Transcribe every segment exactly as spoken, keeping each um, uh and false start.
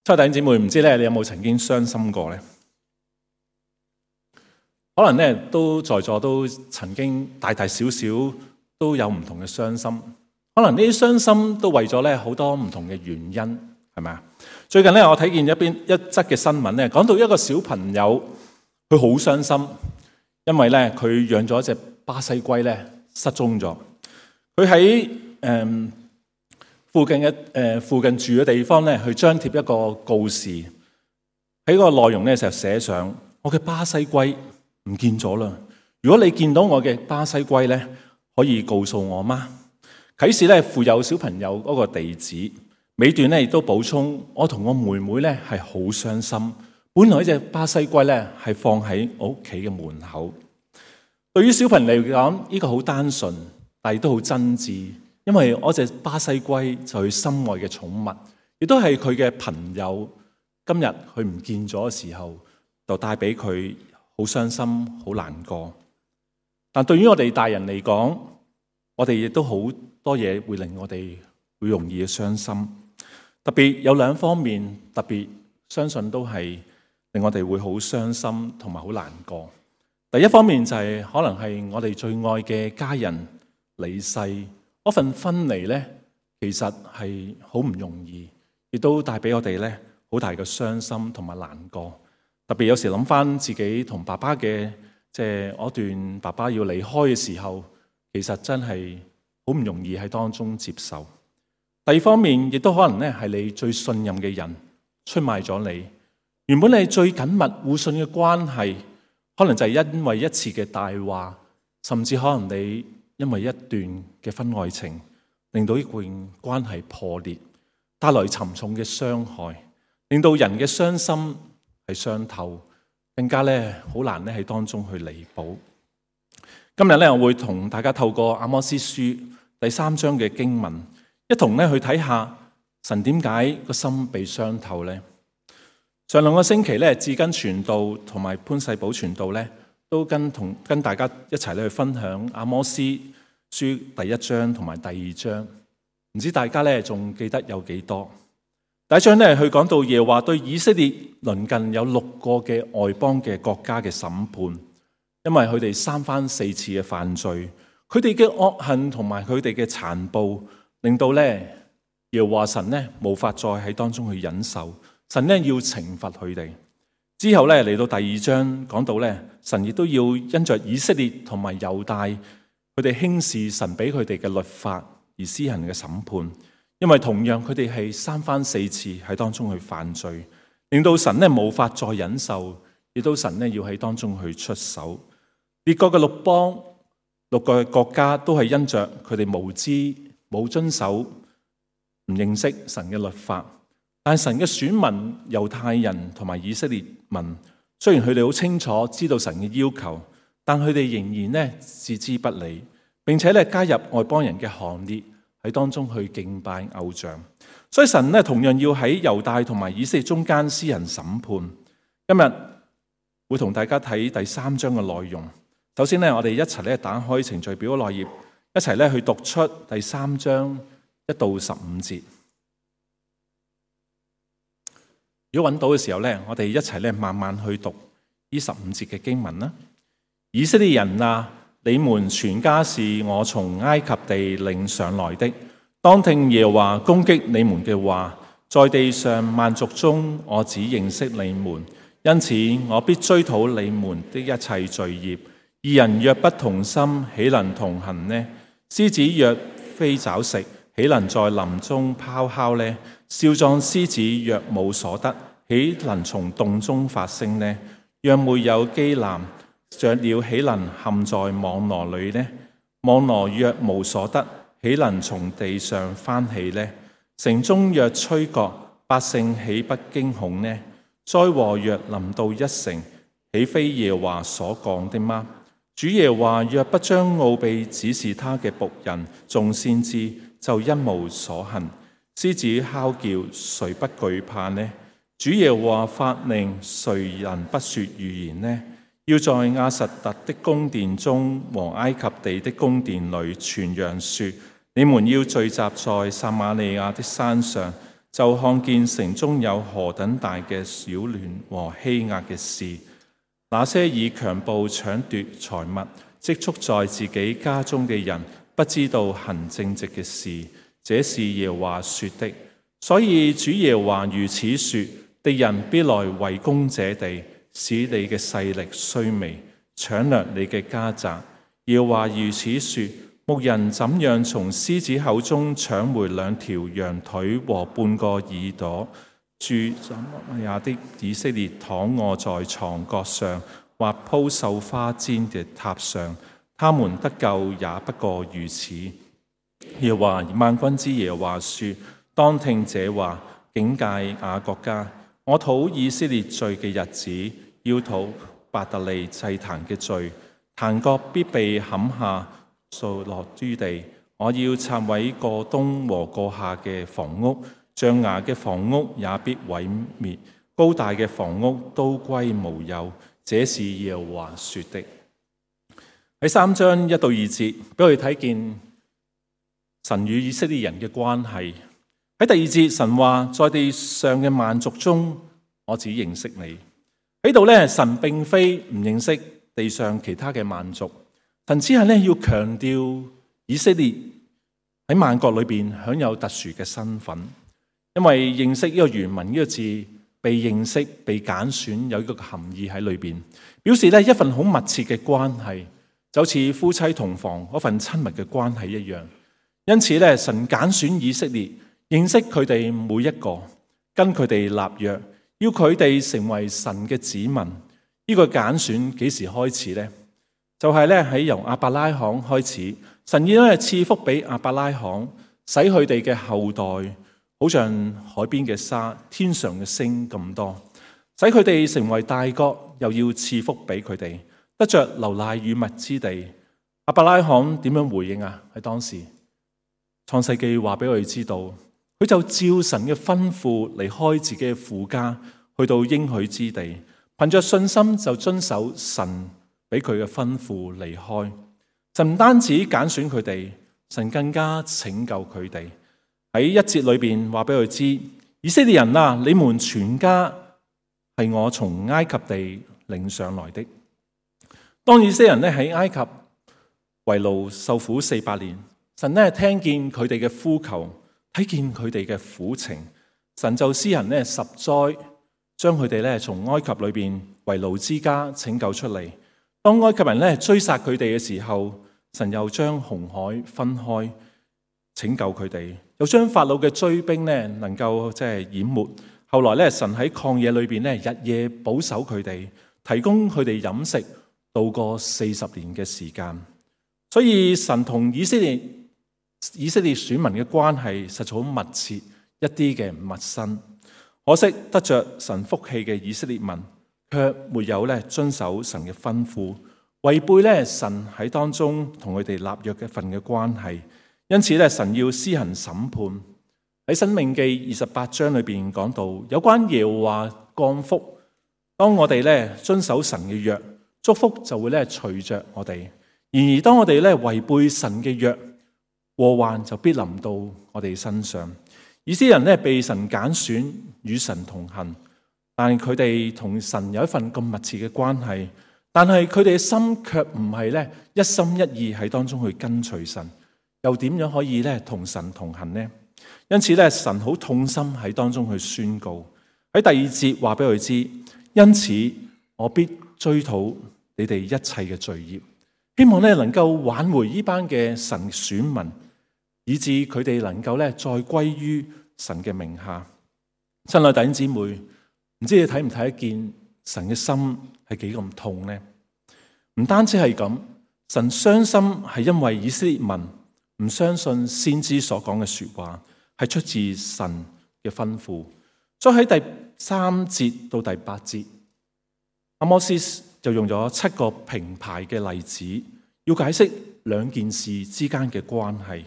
親愛弟兄姊妹，唔知咧你有冇曾經傷心過呢？可能咧都在座都曾經大大小小都有唔同嘅傷心，可能呢啲傷心都為咗咧好多唔同嘅原因，係咪啊？最近咧我睇見一邊一則嘅新聞咧，講到一個小朋友佢好傷心，因為咧佢養咗一隻巴西龜咧失蹤咗，佢喺誒附近嘅誒、呃、附近住嘅地方咧，去張貼一個告示，喺個內容咧就寫上：我嘅巴西龜唔見咗啦！如果你見到我嘅巴西龜咧，可以告訴我嗎？啟示咧附有小朋友嗰個地址，尾段咧亦都補充：我同我妹妹咧係好傷心，本來呢隻巴西龜咧係放喺我屋企嘅門口。對於小朋友嚟講，呢個好單純，但係都好真摯。因為我隻巴西龜就係佢心愛嘅寵物，亦都係佢嘅朋友。今日佢唔見咗嘅時候，就帶俾佢好傷心、好難過。但對於我哋大人嚟講，我哋亦都好多嘢會令我哋會容易傷心。特別有兩方面，特別相信都係令我哋會好傷心同埋好難過。第一方面就係可能係我哋最愛嘅家人離世。嗰份分離咧，其實係好唔容易，亦都帶俾我哋咧好大嘅傷心同埋難過。特別有時諗翻自己同爸爸嘅，即係嗰段爸爸要離開嘅時候，其實真係好唔容易喺當中接受。第二方面，亦都可能咧係你最信任嘅人出賣咗你，原本你最緊密互信嘅關係，可能就係因為一次嘅大話，甚至可能你因為一段嘅婚外情，令到呢段關係破裂，帶來沉重嘅傷害，令到人嘅傷心係傷透，更加咧好難咧喺當中去彌補。今日咧我會同大家透過阿摩司書第三章嘅經文，一同咧去睇下神點解個心被傷透呢？上兩個星期咧，志根傳道同埋潘世寶傳道咧，都跟同跟大家一齊咧去分享阿摩司書第一章同埋第二章，唔知大家咧仲記得有幾多？第一章咧，佢講到耶和華對以色列鄰近有六個嘅外邦嘅國家嘅審判，因為佢哋三番四次嘅犯罪，佢哋嘅惡行同埋佢哋嘅殘暴，令到咧耶和華神咧無法再喺當中去忍受，神咧要懲罰佢哋。之後咧嚟到第二章，講到咧神亦都要因着以色列同埋猶大，佢哋輕視神俾佢哋嘅律法而施行嘅審判，因為同樣佢哋係三番四次喺當中去犯罪，令到神咧無法再忍受，亦都神咧要喺當中去出手。列國嘅六邦、六個國家都係因着佢哋無知、冇遵守、唔認識神嘅律法。但神嘅選民猶太人同埋以色列民，雖然佢哋好清楚知道神嘅要求，但佢哋仍然咧置之不理，並且咧加入外邦人嘅行列喺當中去敬拜偶像。所以神咧同樣要喺猶大同埋以色列中間施行審判。今日會同大家睇第三章嘅內容。首先咧，我哋一齊咧打開程序表嘅內頁，一齊咧去讀出第三章一到十五節。如果揾到嘅時候咧，我哋一齊咧慢慢去讀呢十五節嘅經文啦。以色列人啊，你們全家是我從埃及地領上來的，當聽耶和華攻擊你們嘅話。在地上萬族中，我只認識你們，因此我必追討你們的一切罪孽。二人若不同心，豈能同行呢？獅子若非找食，豈能在林中咆哮呢？少壯獅子若冇所得，豈能從洞中發聲呢？若沒有機檻，雀鳥豈能陷在網羅裏呢？網羅若無所得，豈能從地上翻起呢？城中若吹角，百姓豈不驚恐呢？災禍若臨到一城，豈非耶和華所講的嗎？主耶和華若不將奧秘指示他嘅僕人眾先知，就一無所行。獅子哮叫，誰不懼怕呢？主耶和華發命，誰人不說預言呢？要在亞實突的宮殿中和埃及地的宮殿裏傳揚說：你們要聚集在撒瑪利亞的山上，就看見城中有何等大嘅擾亂和欺壓嘅事。那些以強暴搶奪財物積蓄在自己家中嘅人，不知道行正直嘅事，這是耶和華說的。所以主耶和華如此說：敵人必來圍攻這地，使你嘅勢力衰微，搶掠你嘅家宅。耶和華如此說：牧人怎樣從獅子口中搶回兩條羊腿和半個耳朵，住什麼呀的以色列躺臥在床角上，或鋪繡花氈嘅榻上，他們得救也不過如此。耶和華萬軍之耶和華說：當聽這話，警戒雅各家。我討以色列罪嘅日子，要討伯特利祭壇嘅罪，壇角必被砍下，掃落於地。我要拆毀過冬和過夏嘅房屋，象牙嘅房屋也必毀滅，高大嘅房屋都歸無有。這是耶和華說的。喺三章一到二節，俾我哋睇見神與以色列人嘅關係。喺第二節，神話在地上嘅萬族中，我只認識你。喺度咧，神並非唔認識地上其他嘅萬族，神只係咧要強調以色列喺萬國裏邊享有特殊嘅身份，因為認識呢個原文呢個字，被認識、被揀選，有一個含義喺裏邊，表示咧一份好密切嘅關係，就好似夫妻同房嗰份親密嘅關係一樣。因此咧，神揀選以色列，認識佢哋每一個，跟佢哋立約，要佢哋成為神嘅子民。呢、這個揀選幾時開始呢？就係咧喺由亞伯拉罕開始，神已經係賜福俾亞伯拉罕，使佢哋嘅後代好像海邊嘅沙、天上嘅星咁多，使佢哋成為大國，又要賜福俾佢哋，得着流奶與蜜之地。亞伯拉罕點樣回應啊？喺當時創世記話俾我哋知道，佢就照神嘅吩咐離開自己嘅父家，去到應許之地，憑着信心就遵守神俾佢嘅吩咐離開。神唔單止揀選佢哋，神更加拯救佢哋。喺一節裏邊話俾佢知，以色列人啊，你們全家係我從埃及地領上來的。當以色列人咧喺埃及為奴受苦四百年，神咧聽見佢哋嘅呼求，睇見佢哋嘅苦情，神就施行咧十災，將佢哋咧從埃及裏邊為奴之家拯救出嚟。當埃及人咧追殺佢哋嘅時候，神又將紅海分開，拯救佢哋。又將法老嘅追兵咧，能夠即係淹沒。後來咧，神喺曠野裏邊咧，日夜保守佢哋，提供佢哋飲食，度過四十年嘅時間。所以神同以色列以色列選民嘅關係實在好密切，一啲嘅唔陌生。可惜得着神福氣嘅以色列民，卻沒有咧遵守神嘅吩咐，違背咧神喺當中同佢哋立約嘅一份嘅關係。因此咧，神要施行審判。喺申命記二十八章裏邊講到，有關耶和華降福。當我哋咧遵守神嘅約，祝福就會咧隨着我哋；然而當我哋咧違背神嘅約，禍患就必臨到我哋身上。以色列人咧被神揀選，與神同行，但係佢哋同神有一份咁密切嘅關係，但係佢哋嘅心卻唔係咧一心一意喺當中去跟隨神。又點樣可以咧同神同行呢？因此咧，神好痛心喺當中去宣告。喺第二節話俾佢知，因此我必追討你哋一切嘅罪孽，希望咧能夠挽回呢班嘅神選民，以致佢哋能夠咧再歸於神嘅名下。親愛弟兄姊妹，唔知你睇唔睇得見神嘅心係幾咁痛呢？唔單止係咁，神傷心係因為以色列民唔相信先知所講嘅說話係出自神嘅吩咐。所以喺第三節到第八節，阿摩司就用咗七個平排嘅例子，要解釋兩件事之間嘅關係，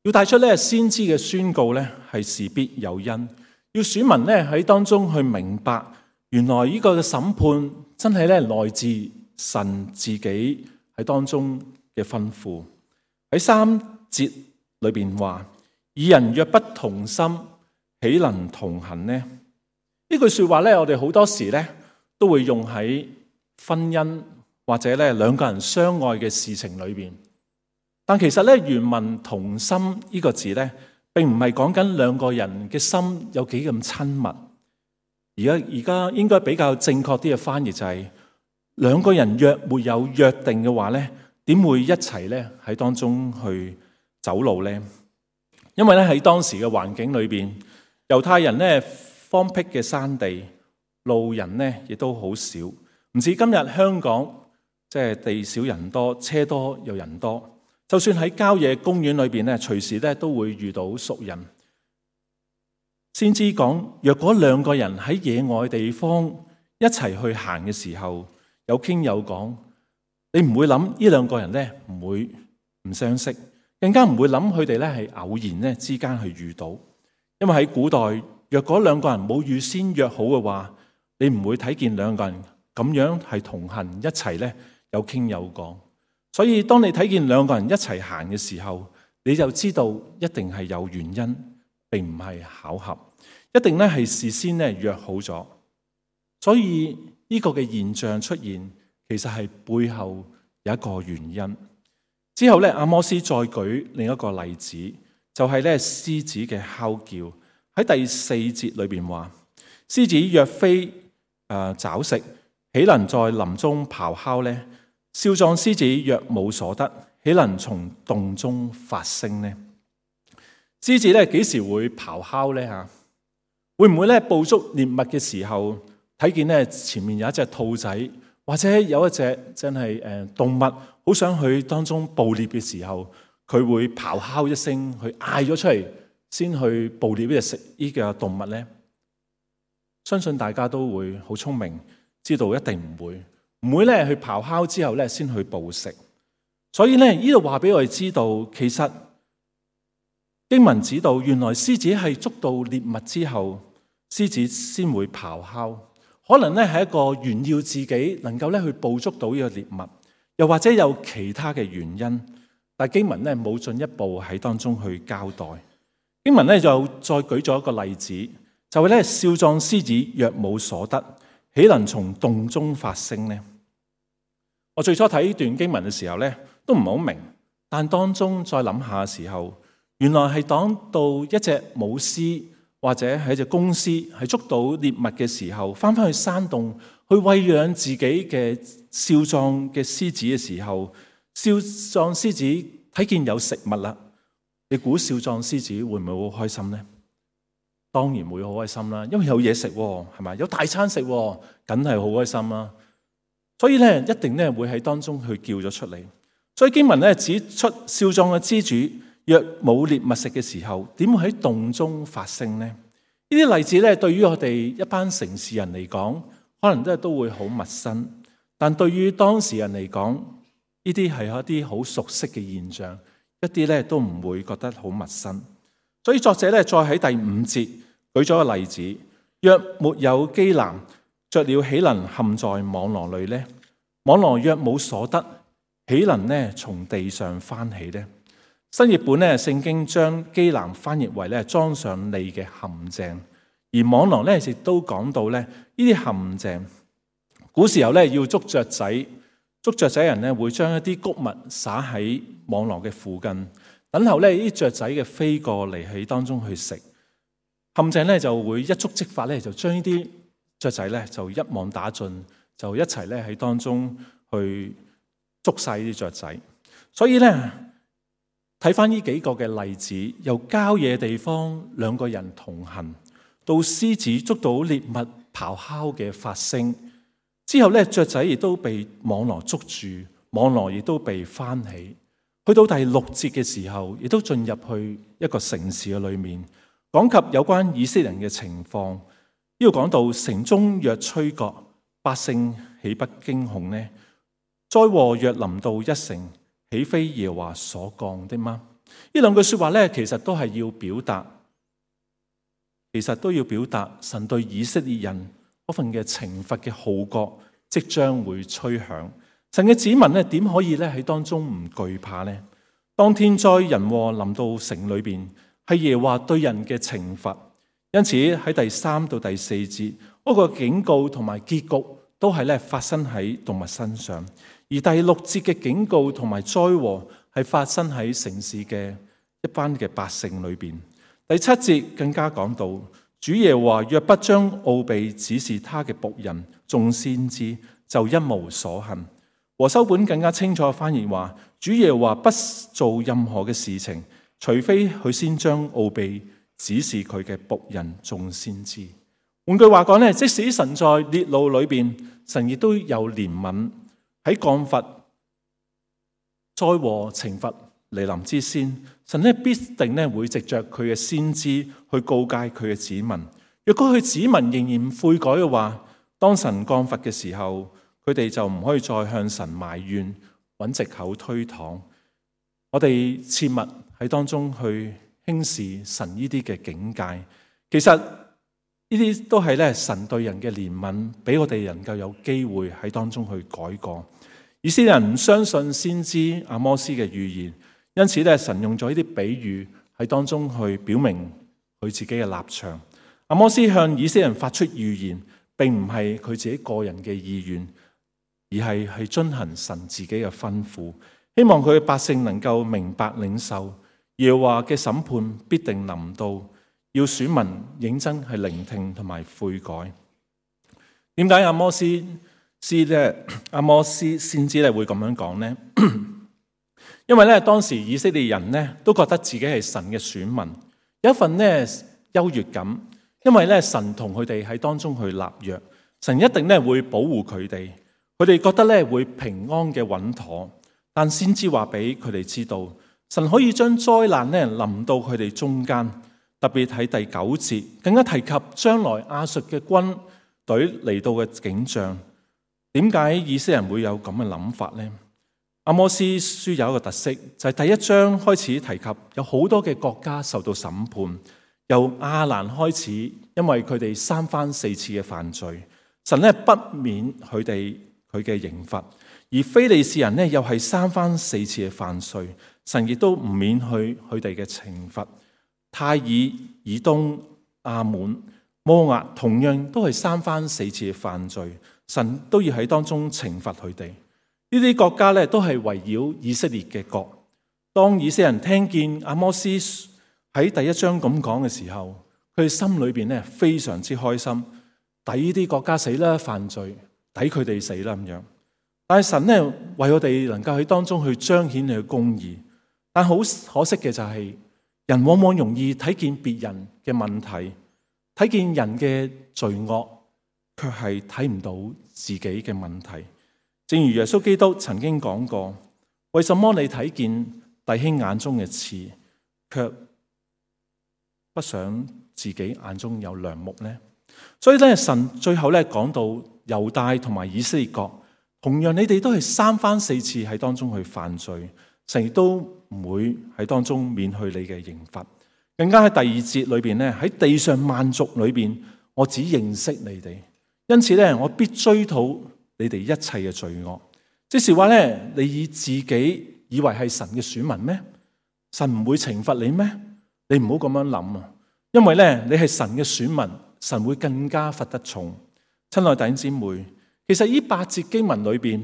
要帶出咧先知嘅宣告咧係事必有因，要選民咧喺當中去明白，原來呢個嘅審判真係咧來自神自己喺當中嘅吩咐。喺三節裏邊話，二人若不同心，豈能同行呢？呢句說話咧，我哋好多時咧都會用喺婚姻或者咧兩個人相愛嘅事情裏邊。但其實咧，原文同心呢個字咧，並唔係講緊兩個人嘅心有幾咁親密。而家而家應該比較正確啲嘅翻譯就係、是、兩個人若沒有約定嘅話咧，點會一齊咧喺當中去走路呢？因為咧喺當時嘅環境裏邊，猶太人咧荒僻嘅山地，路人咧亦都好少，唔似今日香港即係地少人多，車多又人多。就算喺郊野公園裏邊咧，隨時咧都會遇到熟人。先知講，若果兩個人喺野外地方一齊去行嘅時候，有傾有講，你唔會諗呢兩個人咧唔會唔相識，更加唔會諗佢哋咧係偶然咧之間去遇到。因為喺古代，若果兩個人冇預先約好嘅話，你唔會睇見兩個人咁樣係同行一齊咧有傾有講。所以當你睇見兩個人一齊行嘅時候，你就知道一定係有原因，並唔係巧合，一定咧係事先咧約好咗。所以呢個嘅現象出現，其實係背後有一個原因。之後咧，阿摩司再舉另一個例子，就係咧獅子嘅哮叫。喺第四節裏邊話，獅子若非誒找食，豈能在林中咆哮呢？少壯獅子若冇所得，豈能從洞中發聲呢？獅子咧幾時會咆哮呢？吓，會唔會咧捕捉獵物嘅時候，睇見咧前面有一隻兔仔，或者有一隻真係誒動物，好想去當中捕獵嘅時候，佢會咆哮一聲，去嗌咗出嚟，先去捕獵呢隻食呢個動物呢？相信大家都會好聰明，知道一定唔會。唔會咧去咆哮之後咧先去捕食，所以咧呢度話俾我哋知道，其實經文指導原來獅子係捉到獵物之後，獅子先會咆哮。可能咧係一個炫耀自己能夠咧去捕捉到呢個獵物，又或者有其他嘅原因，但經文咧冇進一步喺當中去交代。經文咧就再舉咗一個例子，就係咧少壯獅子若冇所得，豈能從洞中發聲呢？我最初睇呢段經文嘅時候咧，都唔係好明，但當中再諗下嘅時候，原來係講到一隻母獅或者係一隻公獅，係捉到獵物嘅時候，翻返去山洞去餵養自己嘅少壯嘅獅子嘅時候，少壯獅子睇見有食物啦，你估少壯獅子會唔會好開心呢？當然會好開心啦，因為有嘢食，係咪？有大餐食，梗係好開心啦。所以咧，一定咧會喺當中去叫咗出嚟。所以經文咧指出，少壯嘅支主若冇獵物食嘅時候，點會喺洞中發聲呢？呢啲例子咧，對於我哋一班城市人嚟講，可能都係都會好陌生。但對於當時人嚟講，呢啲係一啲好熟悉嘅現象，一啲咧都唔會覺得好陌生。所以作者咧再喺第五節舉咗個例子：若沒有機檻，雀鳥豈能陷在網羅裏呢？網羅若冇所得，豈能呢從地上翻起呢？新譯本咧聖經將機檻翻譯為咧裝上利嘅陷阱，而網羅咧亦都講到咧呢啲陷阱。古時候咧要捉雀仔，捉雀仔人咧會將一啲穀物撒喺網羅嘅附近，等候咧呢啲雀仔嘅飛過嚟喺當中去食。陷阱咧就會一觸即發咧，就將呢啲雀仔咧就一網打盡，就一齊咧喺當中去捉晒呢啲雀仔。所以咧睇翻呢幾個嘅例子，由郊野地方兩個人同行，到獅子捉到獵物咆哮嘅發聲，之後咧雀仔亦都被網羅捉住，網羅亦都被翻起。去到第六節嘅時候，亦都進入去一個城市嘅裏面，講及有關以色列人嘅情況。呢度講到城中若吹角，百姓豈不驚恐呢？災禍若臨到一城，豈非耶和華所降的嗎？呢兩句說話咧，其實都係要表達，其實都要表達神對以色列人嗰份嘅懲罰嘅號角即將會吹響。神嘅子民咧，點可以咧喺當中唔懼怕呢？當天災人禍臨到城裏邊，係耶和華對人嘅懲罰。因此喺第三到第四節嗰個警告同埋結局都係咧發生喺動物身上，而第六節嘅警告同埋災禍係發生喺城市嘅一班嘅百姓裏邊。第七節更加講到，主耶和華若不將奧秘指示他嘅僕人眾先知，就一無所幸。和修本更加清楚翻譯話，主耶和華不做任何嘅事情，除非佢先將奧秘指示佢嘅僕人眾先知。換句話講咧，即使神在烈怒裏邊，神亦都有憐憫，喺降罰災禍懲罰嚟臨之先，神咧必定咧會藉着佢嘅先知去告誡佢嘅子民。若果佢子民仍然唔悔改嘅話，當神降罰嘅時候，佢哋就唔可以再向神埋怨，揾藉口推搪。我哋切勿喺當中去輕視神呢啲嘅境界。其實呢啲都係咧神對人嘅憐憫，俾我哋能夠有機會喺當中去改過。以色列人唔相信先知阿摩斯嘅預言，因此咧神用咗呢啲比喻喺當中去表明佢自己嘅立場。阿摩斯向以色列人發出預言，並唔係佢自己個人嘅意願，而係去遵行神自己嘅吩咐，希望佢嘅百姓能夠明白領受耶和華嘅審判必定臨到，要選民認真係聆聽同埋悔改。點解阿摩斯師咧？阿摩斯先知咧會咁樣講呢？因為咧當時以色列人咧都覺得自己係神嘅選民，有一份咧優越感，因為咧神同佢哋喺當中去立約，神一定咧會保護佢哋，佢哋覺得咧會平安嘅穩妥。但先知話俾佢哋知道，神可以將災難咧臨到佢哋中間。特別喺第九節更加提及將來亞述嘅軍隊嚟到嘅景象。點解以色列人會有咁嘅諗法呢？阿摩司書有一個特色，就係第一章開始提及有好多嘅國家受到審判，由亞蘭開始，因為佢哋三番四次嘅犯罪，神咧不免佢哋佢嘅刑罰；而非利士人咧又係三番四次嘅犯罪，神亦都唔免去佢哋嘅懲罰。泰爾、以東、亞門、摩押同樣都係三番四次嘅犯罪，神都要喺當中懲罰佢哋。呢啲國家咧都係圍繞以色列嘅國。當以色列人聽見阿摩司喺第一章咁講嘅時候，佢哋心裏邊咧非常之開心，抵呢啲國家死啦，犯罪抵佢哋死啦咁樣。但係神咧為我哋能夠喺當中去彰顯佢嘅公義，但好可惜嘅就係、是。人往往容易睇見別人嘅問題，睇見人嘅罪惡，卻係睇唔到自己嘅問題。正如耶穌基督曾經講過：為什麼你睇見弟兄眼中嘅刺，卻不想自己眼中有梁木呢？所以咧，神最後咧講到猶大同埋以色列國，同樣你哋都係三番四次喺當中去犯罪。神亦都唔會喺當中免去你嘅刑罰，更加喺第二節裏邊咧，喺地上萬族裏邊，我只認識你哋，因此咧，我必追討你哋一切嘅罪惡。即是話咧，你以自己以為係神嘅選民咩？神唔會懲罰你咩？你唔好咁樣諗啊！因為咧，你係神嘅選民，神會更加罰得重。親愛弟兄姊妹，其實呢八節經文裏邊，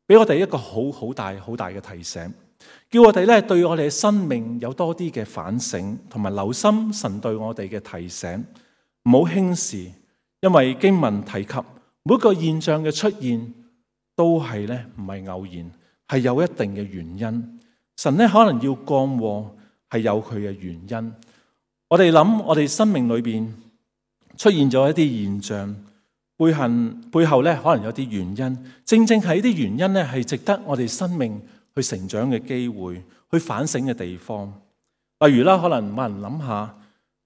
俾我哋一個好好大好大嘅提醒。叫我哋咧對我哋嘅生命有多啲嘅反省，同埋留心神對我哋嘅提醒，唔好輕視。因為經文提及每一個現象嘅出現，都係咧唔係偶然，係有一定嘅原因。神咧可能要降禍，係有佢嘅原因。我哋諗，我哋生命裏邊出現咗一啲現象，背後背後咧可能有啲原因。正正係呢啲原因咧，係值得我哋生命去成長嘅機會，去反省嘅地方。例如啦，可能冇人諗下，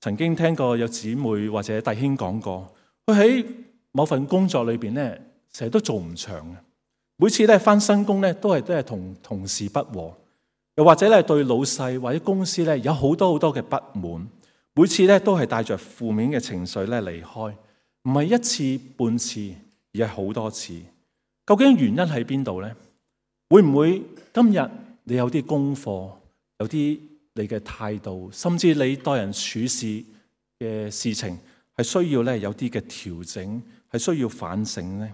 曾經聽過有姊妹或者弟兄講過，佢喺某份工作裏邊咧，成日都做唔長嘅。每次咧返新工咧，都係都係同同事不和，又或者咧對老細或者公司咧有好多好多嘅不滿。每次咧都係帶着負面嘅情緒咧離開，唔係一次半次，而係好多次。究竟原因喺邊度咧？會唔會今日你有啲功課，有啲你嘅態度，甚至你待人處事嘅事情係需要咧有啲嘅調整，係需要反省呢？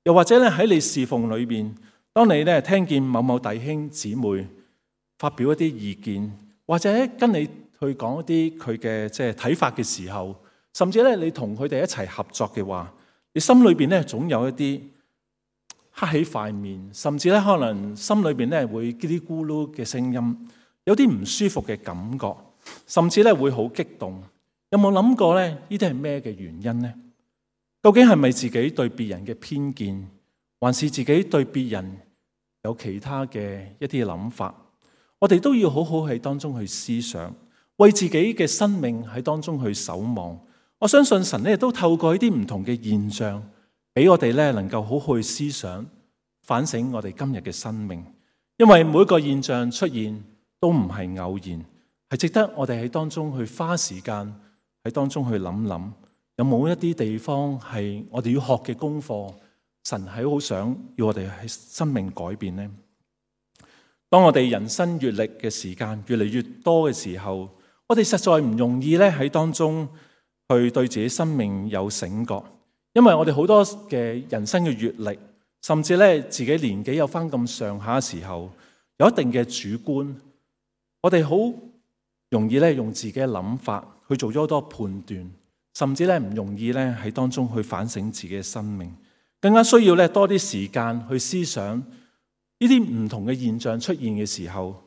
又或者咧喺你侍奉裏邊，當你咧聽見某某弟兄姊妹發表一啲意見，或者跟你去講一啲佢嘅即係睇法嘅時候，甚至咧你同佢哋一齊合作嘅話，你心裏邊咧總有一啲黑起塊面，甚至咧可能心裏邊咧會嘰哩咕嚕嘅聲音，有啲唔舒服嘅感覺，甚至咧會好激動。有冇諗過咧？呢啲係咩嘅原因呢？究竟係咪自己對別人嘅偏見，還是自己對別人有其他嘅一啲諗法？我哋都要好好喺當中去思想，為自己嘅生命喺當中去守望。我相信神咧都透過呢啲唔同嘅現象，俾我哋咧能夠好好去思想、反省我哋今日嘅生命。因為每個現象出現都唔係偶然，係值得我哋喺當中去花時間喺當中去諗諗，有冇一啲地方係我哋要學嘅功課，神係好想要我哋喺生命改變呢？當我哋人生閱歷嘅時間越嚟越多嘅時候，我哋實在唔容易咧喺當中去對自己生命有醒覺，因為我哋好多嘅人生嘅閱歷，甚至咧自己年紀有翻咁上下嘅時候，有一定嘅主觀，我哋好容易咧用自己嘅諗法去做咗好多判斷，甚至咧唔容易咧喺當中去反省自己嘅生命，更加需要咧多啲時間去思想呢啲唔同嘅現象出現嘅時候，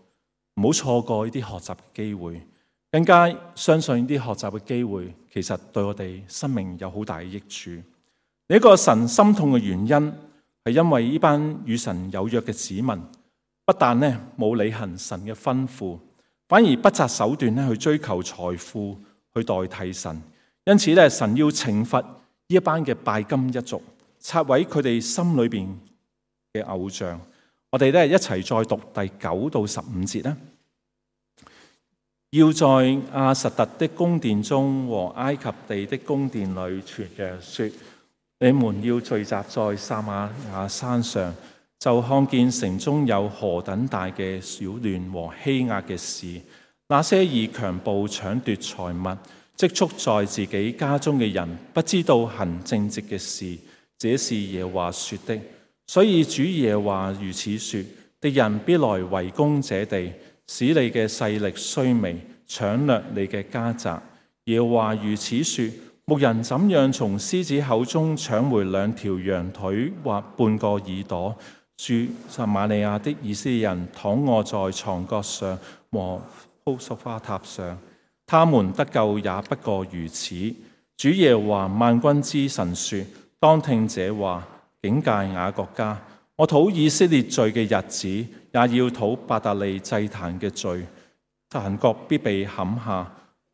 唔好錯過呢啲學習嘅機會，更加相信呢啲學習嘅機會其實對我哋生命有好大嘅益處。另一個神心痛嘅原因係因為呢班與神有約嘅子民，不但咧冇履行神嘅吩咐，反而不擇手段咧去追求財富去代替神。因此咧，神要懲罰呢一班嘅拜金一族，拆毀佢哋心裏邊嘅偶像。我哋咧一齊再讀第九到十五節啦。要在亞實突的宮殿中和埃及地的宮殿裏傳揚說，你們要聚集在撒瑪亞山上，就看見城中有何等大嘅擾亂和欺壓嘅事。那些以強暴搶奪財物、積蓄在自己家中嘅人，不知道行正直嘅事，這是耶和華說的。所以主耶和華如此說：敵人必來圍攻這地，使你嘅勢力衰微，搶掠你嘅家宅。耶和華如此說：牧人怎樣從獅子口中搶回兩條羊腿或半個耳朵，住撒瑪利亞的以色列人躺臥在床角上和鋪塑花塔上，他們得救也不過如此。主耶和華萬軍之神說：當聽這話，警戒雅各家，我討以色列罪嘅日子，也要討伯特利祭壇嘅罪。壇角必被砍下，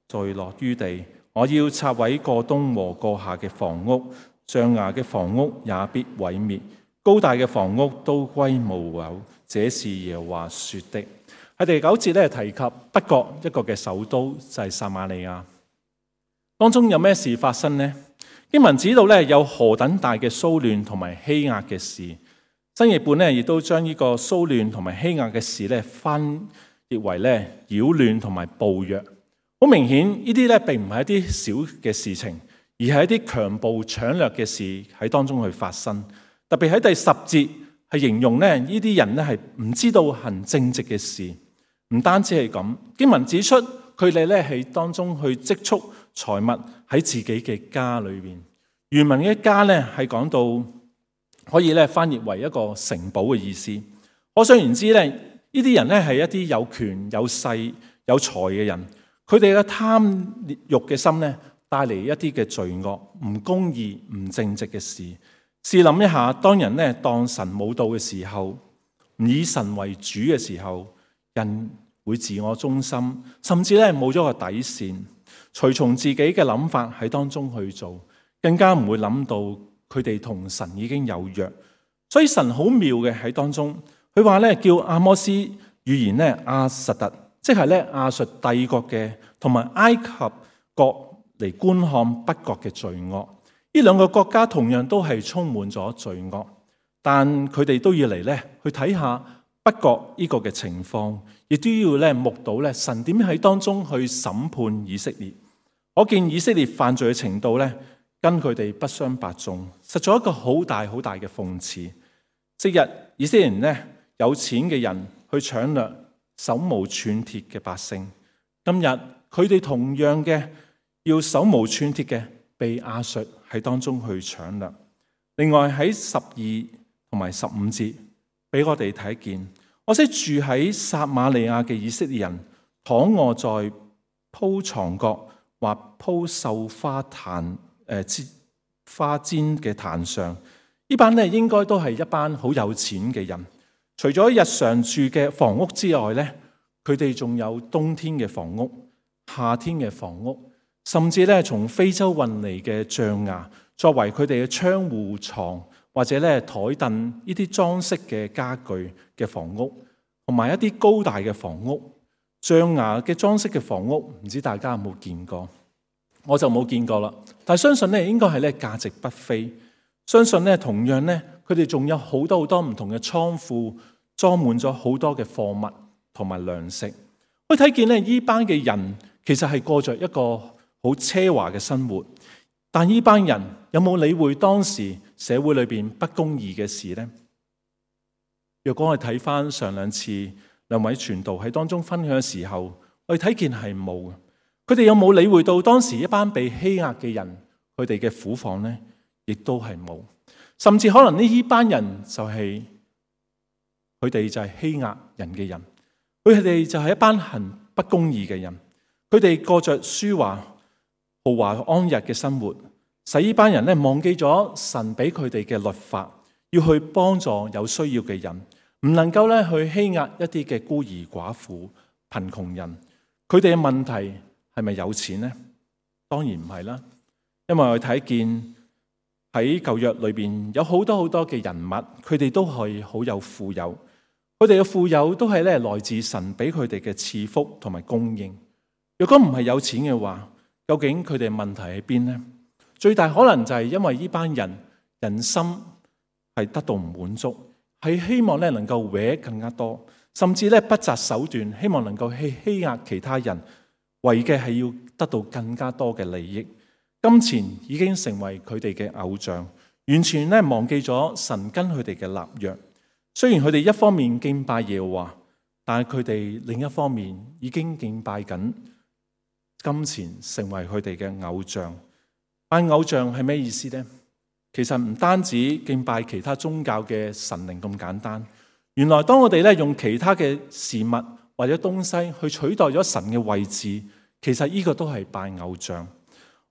墜落於地。我要拆毀過東和過夏嘅房屋，象牙嘅房屋也必毀滅，高大嘅房屋都歸無有。這是耶和華說的。喺第九節咧提及北國一個嘅首都就係撒瑪利亞，當中有咩事發生呢？經文指到咧有何等大嘅騷亂同埋欺壓嘅事。新譯本咧亦都將呢個騷亂同埋欺壓嘅事咧翻譯為咧擾亂同埋暴虐。好明顯呢啲咧並唔係一啲小嘅事情，而係一啲強暴搶掠嘅事喺當中去發生。特別喺第十節係形容咧呢啲人咧係唔知道行正直嘅事。唔單止係咁，經文指出佢哋咧喺當中去積蓄財物喺自己嘅家裏邊。原文嘅家咧係講到可以咧翻譯為一個城堡嘅意思。可想而知咧，呢啲人咧係一啲有權有勢有財嘅人，佢哋嘅貪欲嘅心咧帶嚟一啲嘅罪惡、唔公義、唔正直嘅事。試諗一下，當人咧當神冇到嘅時候，唔以神為主嘅時候，人會自我中心，甚至咧冇咗個底線，隨從自己嘅諗法喺當中去做，更加唔會諗到佢哋同神已經有約。所以神好妙嘅喺當中，佢話咧叫阿摩斯預言咧亞實突，即係咧亞述帝國嘅同埋埃及國嚟觀看北國嘅罪惡。呢兩個國家同樣都係充滿咗罪惡，但佢哋都要嚟咧去睇下北國呢個嘅情況，亦都要咧目睹咧神點喺當中去審判以色列。可見以色列犯罪嘅程度咧，跟佢哋不相伯仲，實在一個好大好大嘅諷刺。昔日以色列人咧，有錢嘅人去搶掠手無寸鐵嘅百姓，今日佢哋同樣嘅要手無寸鐵嘅被亞述喺當中去搶掠。另外喺十二同埋十五節俾我哋睇見，我識住喺撒瑪利亞嘅以色列人躺臥在鋪床角或鋪繡花壇誒花氈嘅壇上，呢班咧應該都係一班好有錢嘅人。除咗日常住嘅房屋之外咧，佢哋仲有冬天嘅房屋、夏天嘅房屋，甚至咧從非洲運嚟嘅象牙作為佢哋嘅窗戶、床或者咧台凳呢啲裝飾嘅家具嘅房屋，同埋一啲高大嘅房屋。象牙嘅裝飾嘅房屋，唔知大家有冇見過？我就冇見過啦。但係相信咧，應該係咧價值不菲。相信咧，同樣咧，佢哋仲有好多好多唔同嘅倉庫，裝滿咗好多嘅貨物同埋糧食。可以睇見咧，呢班嘅人其實係過着一個好奢華嘅生活。但呢班人有冇理會當時社會裏邊不公義嘅事呢？若果我哋睇翻上兩次兩位傳道喺當中分享嘅時候，我哋睇見係冇嘅。佢哋有冇理會到當時一班被欺壓嘅人佢哋嘅苦況呢？亦都係冇，甚至可能呢班人就係佢哋就係欺壓人嘅人，佢哋就係一班行不公義嘅人，佢哋過着奢華豪華安逸嘅生活，使呢班人咧忘記咗神俾佢哋嘅律法，要去幫助有需要嘅人，唔能夠咧去欺壓一啲嘅孤兒寡婦、貧窮人。佢哋嘅問題係咪有錢呢？當然唔係啦，因為我睇見喺舊約裏邊有好多好多嘅人物，佢哋都係好有富有，佢哋嘅富有都係咧來自神俾佢哋嘅賜福同埋供應。如果唔係有錢嘅話，究竟佢哋問題喺邊呢？最大可能就係因為呢班人人心係得到唔滿足，係希望咧能夠搲更加多，甚至咧不擇手段，希望能夠去欺壓其他人，為嘅係要得到更加多嘅利益。金錢已經成為佢哋嘅偶像，完全咧忘記咗神跟佢哋嘅立約。雖然佢哋一方面敬拜耶和華，但係佢哋另一方面已經敬拜緊金錢，成為佢哋嘅偶像。拜偶像係咩意思呢？其實唔單止敬拜其他宗教嘅神靈咁簡單。原來當我哋咧用其他嘅事物或者東西去取代咗神嘅位置，其實呢個都係拜偶像。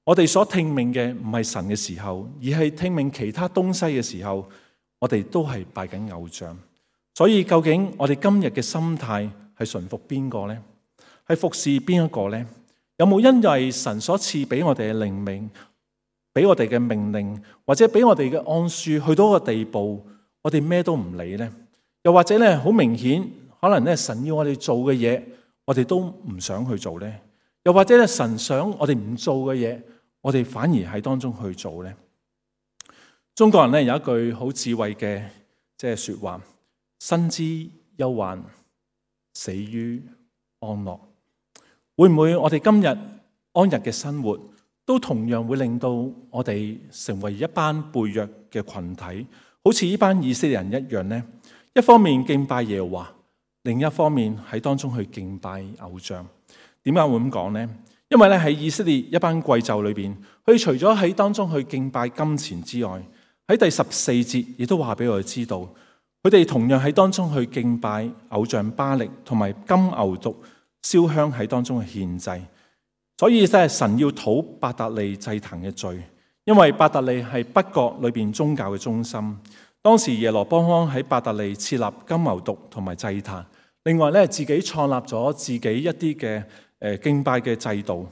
我哋所聽命嘅唔係神嘅時候，而係聽命其他東西嘅時候，我哋都係拜緊偶像。所以究竟我哋今日嘅心態係順服邊個呢？係服侍邊一個呢？有冇因為神所賜俾我哋嘅靈命，俾我哋嘅命令，或者俾我哋嘅安舒，去到一個地步，我哋咩都唔理呢？又或者咧，好明顯，可能咧神要我哋做嘅嘢，我哋都唔想去做呢？又或者咧神想我哋唔做嘅嘢，我哋反而喺當中去做呢？中國人咧有一句好智慧嘅即係說話：生之憂患，死於安樂。會唔會我哋今日安逸嘅生活，都同樣會令到我哋成為一班背約嘅群體，好似呢班以色列人一樣呢？一方面敬拜耶和華，另一方面喺當中去敬拜偶像。點解會咁講呢？因為咧喺以色列一班貴胄裏邊，佢除咗喺當中去敬拜金錢之外，喺第十四節亦都話俾我哋知道，佢哋同樣喺當中去敬拜偶像巴力同埋金牛犢燒香喺當中去獻祭。所以真係神要討伯特利祭壇嘅罪，因為伯特利係北國裏邊宗教嘅中心。當時耶羅波安喺伯特利設立金牛犢同埋祭壇，另外咧自己創立咗自己一啲嘅誒敬拜嘅制度，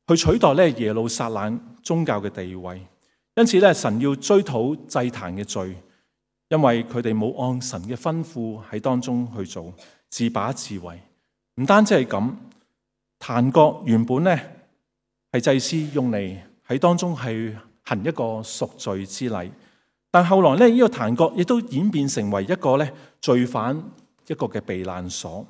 去取代咧耶路撒冷宗教嘅地位。因此咧，神要追討祭壇嘅罪，因為佢哋冇按神嘅吩咐喺當中去做，自把自為。唔單止係咁，壇角原本咧係祭司用嚟喺當中係行一個贖罪之禮，但後來咧呢個壇角亦都演變成為一個咧罪犯一個嘅避難所。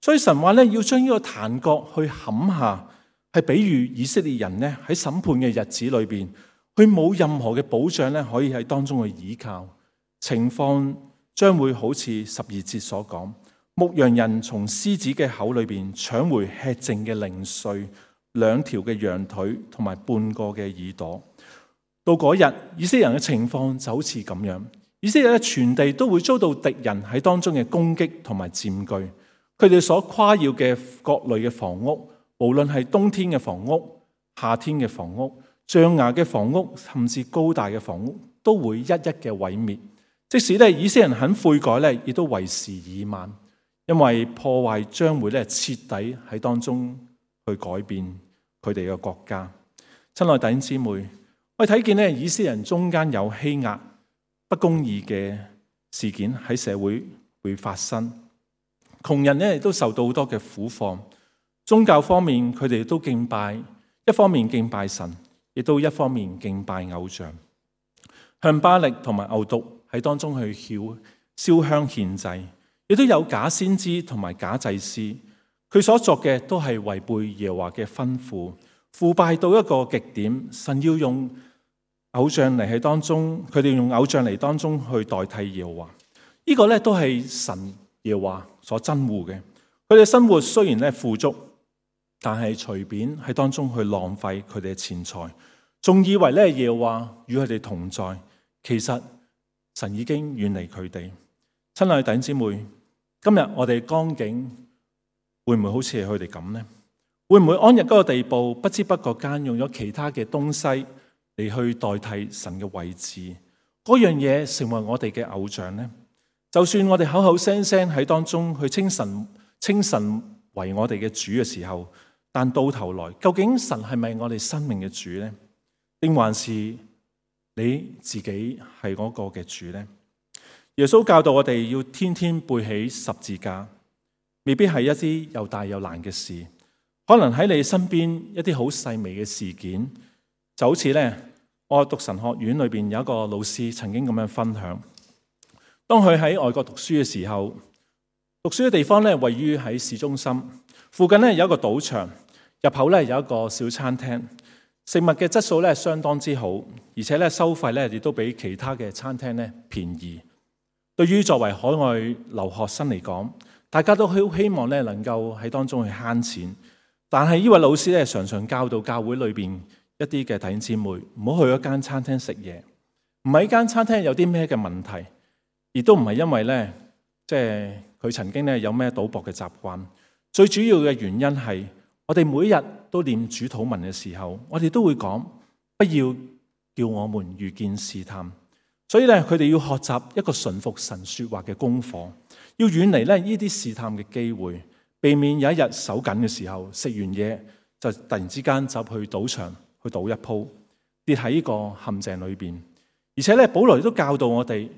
所以神話咧要將呢個壇角去砍下，係比喻以色列人咧喺審判嘅日子裏邊，佢冇任何嘅保障咧，可以喺當中去倚靠。情況將會好似十二節所講，牧羊人從獅子嘅口裏邊搶回吃剩嘅零碎，兩條嘅羊腿同埋半個嘅耳朵。到嗰日，以色列人嘅情況就好似咁樣。以色列咧全地都會遭到敵人喺當中嘅攻擊同埋佔據。佢哋所誇耀嘅各類嘅房屋，無論係冬天嘅房屋、夏天嘅房屋、象牙嘅房屋，甚至高大嘅房屋，都會一一嘅毀滅。即使咧以色列人肯悔改咧，亦都為時已晚，因為破壞將會咧徹底喺當中去改變佢哋嘅國家。親愛弟兄姊妹，我哋睇見咧以色列人中間有欺壓、不公義嘅事件喺社會會發生，窮人咧亦都受到好多嘅苦況。宗教方面，佢哋都敬拜，一方面敬拜神，亦都一方面敬拜偶像，向巴力同埋牛犢喺當中去燒燒香獻祭，亦都有假先知同埋假祭司，佢所作嘅都係違背耶和華嘅吩咐，腐敗到一個極點。神要用偶像嚟喺當中，佢哋用偶像嚟當中去代替耶和華，呢個咧都係神耶和華所憎惡嘅。佢哋生活雖然咧富足，但係隨便喺當中去浪費佢哋嘅錢財，仲以為咧耶和華與佢哋同在，其實神已經遠離佢哋。親愛的弟兄姊妹，今日我哋光景會唔會好似係佢哋咁呢？會唔會安逸嗰個地步，不知不覺間用咗其他嘅東西嚟去代替神嘅位置？嗰樣嘢成為我哋嘅偶像呢？就算我哋口口聲聲喺當中去稱神稱神為我哋嘅主嘅時候，但到頭來，究竟神係咪我哋生命嘅主呢？定還是你自己係嗰個嘅主呢？耶穌教導我哋要天天背起十字架，未必係一啲又大又難嘅事，可能喺你身邊一啲好細微嘅事件，就好似咧，我讀神學院裏邊有一個老師曾經咁樣分享，當佢喺外國讀書嘅時候，讀書嘅地方咧位於喺市中心，附近咧有一個賭場，入口咧有一個小餐廳，食物嘅質素咧相當之好，而且咧收費咧亦都比其他嘅餐廳咧便宜。對於作為海外留學生嚟講，大家都好希望咧能夠喺當中去慳錢，但係呢位老師咧常常教導教會裏邊一啲嘅弟兄姊妹唔好去一間餐廳食嘢，唔係呢間餐廳有啲咩嘅問題，亦都唔係因為咧即係佢曾經咧有咩賭博嘅習慣，最主要嘅原因係我哋每日都念主禱文嘅時候，我哋都會講不要叫我們遇見試探。所以咧，佢哋要學習一個順服神說話嘅功課，要遠離咧呢啲試探嘅機會，避免有一日手緊嘅時候，食完嘢就突然之間走去賭場去賭一鋪，跌喺呢個陷阱裏邊。而且咧，保羅都教導我哋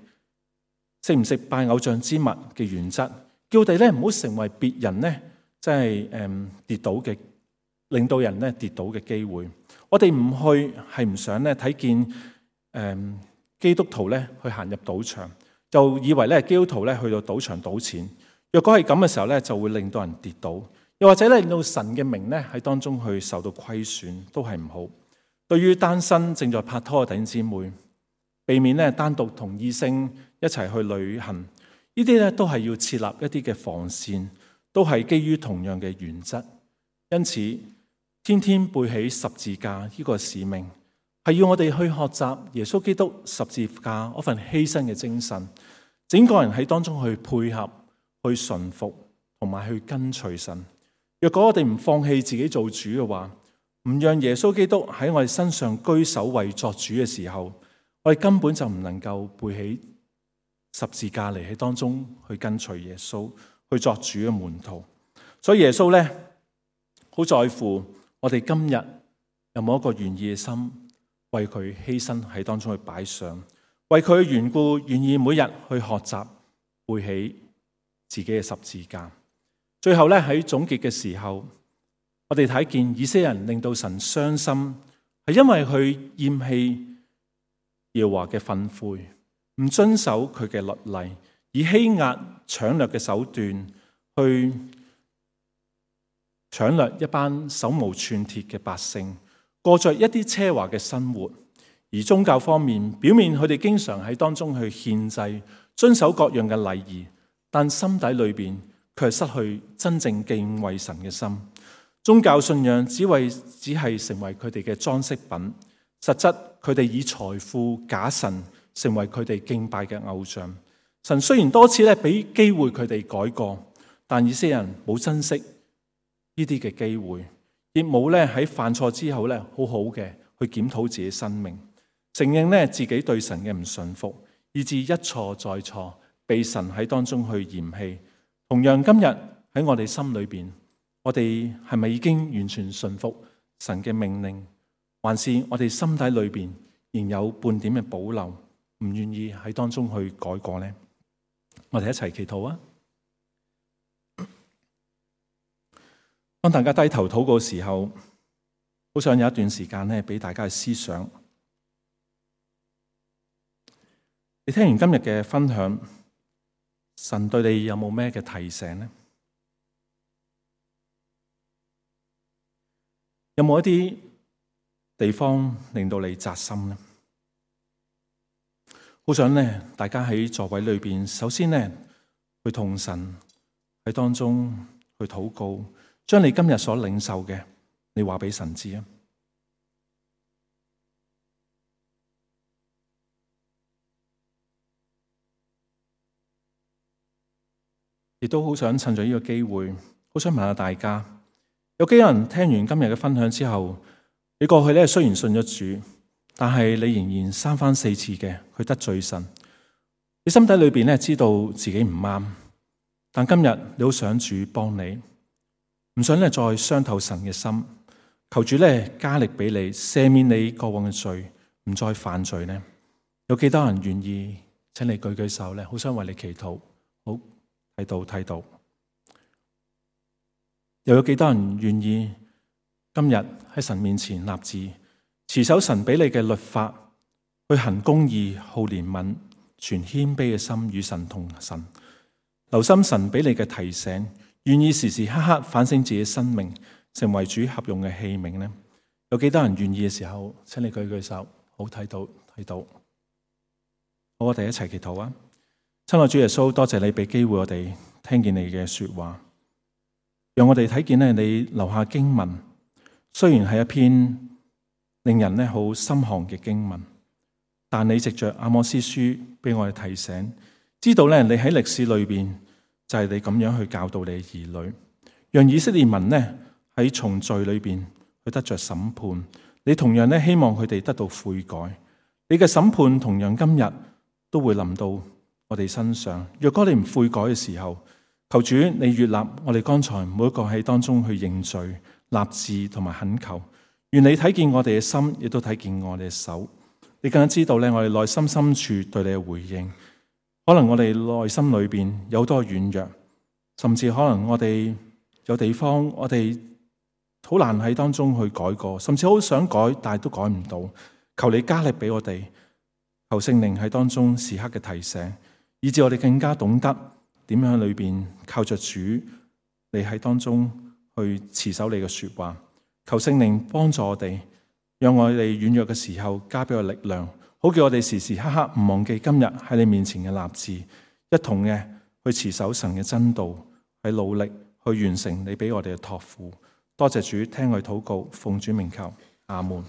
食唔食拜偶像之物嘅原則，叫我哋咧唔好成為別人咧即係誒跌倒嘅，令到人咧跌倒嘅機會。我哋唔去係唔想咧睇見誒。嗯基督徒咧去行入賭場，就以為咧基督徒咧去到賭場賭錢。若果係咁嘅時候咧，就會令到人跌倒，又或者咧令到神嘅名咧喺當中去受到虧損，都係唔好。對於單身正在拍拖嘅弟兄姊妹，避免咧單獨同異性一齊去旅行，呢啲咧都係要設立一啲嘅防線，都係基於同樣嘅原則。因此，天天背起十字架呢個使命，係要我哋去學習耶穌基督十字架嗰份犧牲嘅精神，整個人喺當中去配合、去順服同埋去跟隨神。若果我哋唔放棄自己做主嘅話，唔讓耶穌基督喺我哋身上居首位作主嘅時候，我哋根本就唔能夠背起十字架嚟喺當中去跟隨耶穌，去作主嘅門徒。所以耶穌咧好在乎我哋今日有冇一個願意嘅心，為佢犧牲喺當中去擺上，為佢嘅緣故願意每日去學習背起自己嘅十字架。最後咧喺總結嘅時候，我哋睇見以色列人令到神傷心，係因為佢厭棄耶和華嘅訓誨，唔遵守佢嘅律例，以欺壓搶掠嘅手段去搶掠一班手無寸鐵嘅百姓，過着一啲奢華嘅生活。而宗教方面，表面佢哋經常喺當中去獻祭，遵守各樣嘅禮儀，但心底裏邊卻係失去真正敬畏神嘅心。宗教信仰只為只係成為佢哋嘅裝飾品，實質佢哋以財富假神成為佢哋敬拜嘅偶像。神雖然多次咧俾機會佢哋改過，但以色列人冇珍惜呢啲嘅機會，亦冇咧喺犯錯之後咧好好嘅去檢討自己生命，承認咧自己對神嘅唔順服，以致一錯再錯，被神喺當中去嫌棄。同樣今日喺我哋心裏邊，我哋係咪已經完全順服神嘅命令，還是我哋心底裏邊仍有半點嘅保留，唔願意喺當中去改過呢？我哋一齊祈禱啊！當大家低頭禱告嘅時候，好想有一段時間咧，俾大家去思想。你聽完今日嘅分享，神對你有冇咩嘅提醒呢？有冇一啲地方令到你扎心呢？好想咧，大家喺座位裏邊，首先咧去同神喺當中去禱告，將你今日所領受嘅，你話俾神知啊！亦都好想趁住呢個機會，好想問下大家，有幾多人聽完今日嘅分享之後，你過去咧雖然信咗主，但係你仍然三番四次嘅去得罪神，你心底裏邊咧知道自己唔啱，但今日你好想主幫你，唔想咧再傷透神嘅心，求主咧加力俾你，赦免你過往嘅罪，唔再犯罪呢？有幾多人願意？請你舉舉手咧，好想為你祈禱。好。睇到睇到，又有幾多人願意今日喺神面前立志，持守神俾你嘅律法，去行公義、好憐憫、存謙卑嘅心與神同神，留心神俾你嘅提醒，願意時時刻刻反省自己生命，成為主合用嘅器皿呢？有幾多人願意嘅時候，請你舉舉手。好，睇到睇到，好，我哋一齊祈禱啊！親愛主耶穌，多謝你俾機會我哋聽見你嘅說話，讓我哋睇見咧你留下經文，雖然係一篇令人咧好心寒嘅經文，但你藉着阿摩司書俾我哋提醒，知道咧你喺歷史裏邊就係你咁樣去教導你嘅兒女，讓以色列民咧喺從罪裏邊去得着審判。你同樣咧希望佢哋得到悔改，你嘅審判同樣今日都會臨到我哋身上。若果你唔悔改嘅時候，求主你悅納我哋剛才每一個喺當中去認罪、立志同埋懇求。願你睇見我哋嘅心，亦都睇見我哋嘅手。你更加知道咧，我哋內心深處對你嘅回應。可能我哋內心裏邊有好多軟弱，甚至可能我哋有地方我哋好難喺當中去改過，甚至好想改，但係都改唔到。求你加力俾我哋，求聖靈喺當中時刻嘅提醒，以致我哋更加懂得點樣喺裏邊靠着主，你喺當中去持守你嘅說話。求聖靈幫助我哋，讓我哋軟弱嘅時候加俾我力量，好叫我哋時時刻刻唔忘記今日喺你面前嘅立志，一同嘅去持守神嘅真道，去努力去完成你俾我哋嘅託付。多謝主，聽我哋禱告，奉主名求，阿門。